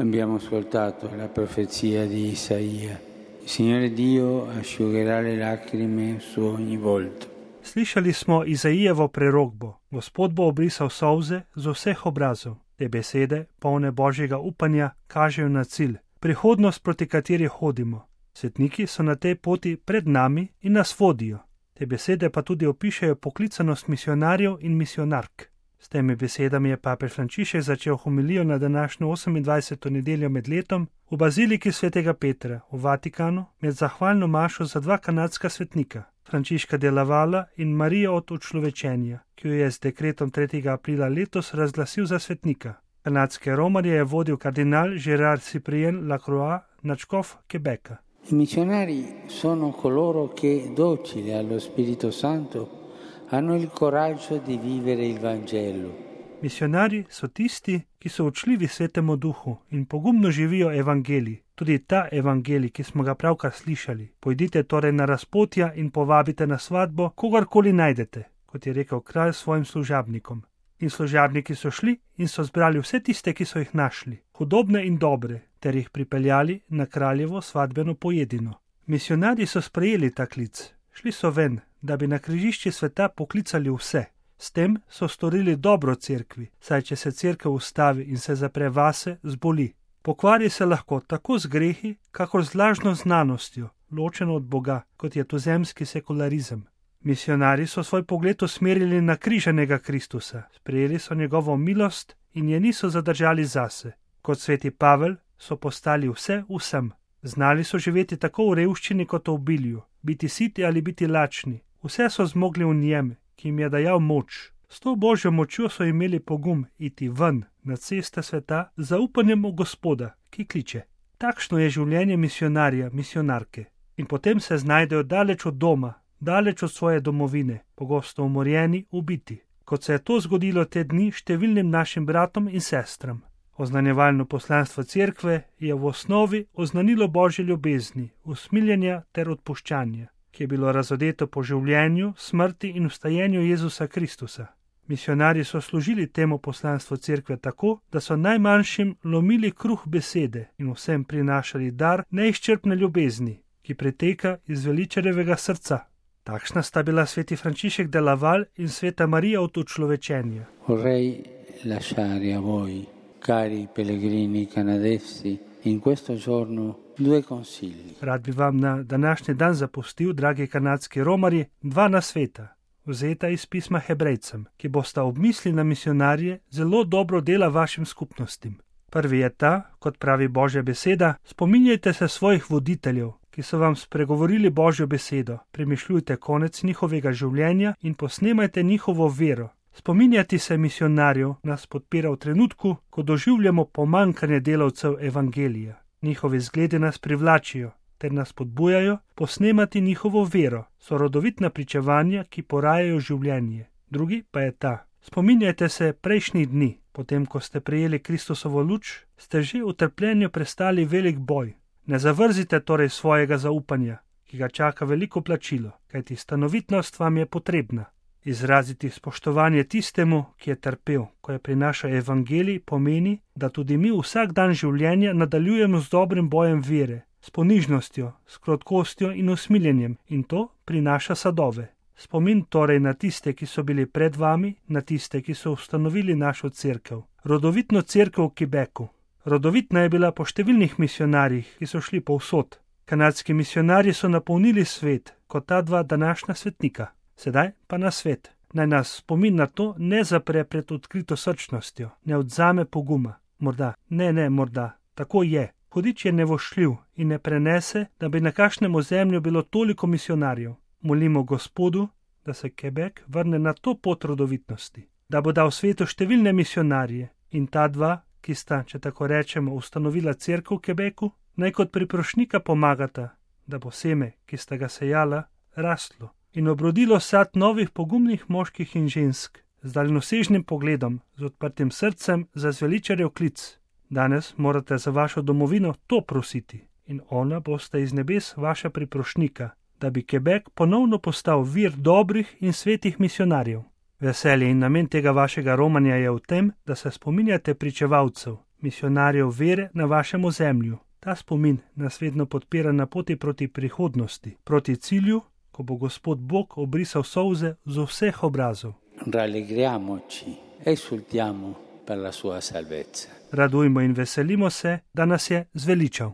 Abbiamo ascoltato la profezia di Isaia. Il Signore Dio asciugherà le lacrime su ogni volto. Slišali smo Izaijevo prerokbo. Gospod bo obrisal solze z vseh obrazov. Te besede, polne Božjega upanja, kažejo na cilj, prihodnost, proti kateri hodimo. Svetniki so na tej poti pred nami in nas vodijo. Te besede pa tudi opišajo poklicanost misionarjev in misionark. S temi besedami je papež Frančišek začel homilijo na današnjo 28. nedeljo med letom v baziliki svetega Petra v Vatikanu med zahvalno mašo za dva kanadska svetnika, Frančiška de Lavala in Marijo od Učlovečenja, ki jo je z dekretom 3. aprila letos razglasil za svetnika. Kanadske romarje je vodil kardinal Gérard Cyprien Lacroix, nadškof Quebeca. I missionari sono coloro che, docili allo Spirito Santo, hanno il coraggio di vivere il Vangelo. Misionari so tisti, ki so učljivi Svetemu Duhu in pogumno živijo evangelij, tudi ta evangelij, ki smo ga pravkar slišali. Pojdite torej na razpotja in povabite na svatbo, kogarkoli najdete, kot je rekel kralj svojim služabnikom. In služabniki so šli in so zbrali vse tiste, ki so jih našli, hudobne in dobre, ter jih pripeljali na kraljevo svatbeno pojedino. Misionarji so sprejeli ta klic, šli so ven, da bi na križišči sveta poklicali vse. S tem so storili dobro cerkvi, saj če se cerkev ustavi in se zapre vase, zboli. Pokvari se lahko tako z grehi, kakor z lažno znanostjo, ločeno od Boga, kot je tuzemski sekularizem. Misionarji so svoj pogled usmerili na križanega Kristusa, sprejeli so njegovo milost in je niso zadržali zase. Kot sveti Pavel so postali vse vsem. Znali so živeti tako v revščini kot v obilju, biti siti ali biti lačni. Vse so zmogli v njem, ki jim je dajal moč. S to Božjo močjo so imeli pogum iti ven na ceste sveta z zaupanjem v Gospoda, ki kliče. Takšno je življenje misionarja, misionarke. In potem se znajdejo daleč od doma, daleč od svoje domovine, pogosto umorjeni, ubiti. Kot se je to zgodilo te dni številnim našim bratom in sestram. Oznanjevalno poslanstvo cerkve je v osnovi oznanilo Božje ljubezni, usmiljenja ter odpuščanja, ki je bilo razodeto po življenju, smrti in vstajenju Jezusa Kristusa. Misionarji so služili temu poslanstvu cerkve tako, da so najmanjšim lomili kruh besede in vsem prinašali dar neizčrpne ljubezni, ki preteka iz veličarjevega srca. Takšna sta bila sveti Frančišek de Laval in sveta Marija od Učlovečenja. Vorrei lasciare a voi, cari pellegrini canadesi, in questo giorno due consigli. Rad bi vam na današnji dan zapustil, dragi kanadski romarji, dva nasveta, vzeta iz pisma Hebrejcem, ki bosta ob misli na misionarje zelo dobro dela vašim skupnostim. Prvi je ta, kot pravi Božja beseda, spominjajte se svojih voditeljev, ki so vam spregovorili Božjo besedo, premišljujte konec njihovega življenja in posnemajte njihovo vero. Spominjati se misionarjev nas podpira v trenutku, ko doživljamo pomanjkanje delavcev evangelija. Njihovi zgledi nas privlačijo ter nas podbujajo posnemati njihovo vero, so rodovitna pričevanja, ki porajajo življenje. Drugi pa je ta. Spominjajte se prejšnjih dni, potem ko ste prejeli Kristusovo luč, ste že v trpljenju prestali velik boj. Ne zavrzite torej svojega zaupanja, ki ga čaka veliko plačilo, kajti stanovitnost vam je potrebna. Izraziti spoštovanje tistemu, ki je trpel, ko je prinašal evangelij, pomeni, da tudi mi vsak dan življenja nadaljujemo z dobrim bojem vere, s ponižnostjo, s krotkostjo in usmiljenjem, in to prinaša sadove. Spomin torej na tiste, ki so bili pred vami, na tiste, ki so ustanovili našo cerkev, rodovitno cerkev v Quebecu. Rodovitna je bila po številnih misionarjih, ki so šli povsod. Kanadski misionarji so napolnili svet, kot ta dva današnja svetnika. Sedaj pa na svet. Naj nas spomin na to ne zapre pred odkrito srčnostjo, ne odzame poguma. Morda, tako je. Hudič je nevošljiv in ne prenese, da bi na kakšnem ozemlju bilo toliko misionarjev. Molimo Gospodu, da se Quebec vrne na to pot rodovitnosti, da bo dal svetu številne misionarje in ta dva, ki sta, če tako rečemo, ustanovila cerkev v Quebecu, naj kot priprošnika pomagata, da bo seme, ki sta ga sejala, rastlo in obrodilo sad novih pogumnih moških in žensk, z daljnosežnim pogledom, z odprtim srcem za zveličarjev klic. Danes morate za vašo domovino to prositi in ona bosta iz nebes vaša priprošnika, da bi Quebec ponovno postal vir dobrih in svetih misionarjev. Veselje in namen tega vašega romanja je v tem, da se spominjate pričevalcev, misionarjev vere na vašem ozemlju. Ta spomin nas vedno podpira na poti proti prihodnosti, proti cilju, ko bo Gospod Bog obrisal solze z vseh obrazov. Rallegriamoci, esultiamo per la sua salvezza. Radujmo in veselimo se, da nas je zveličal.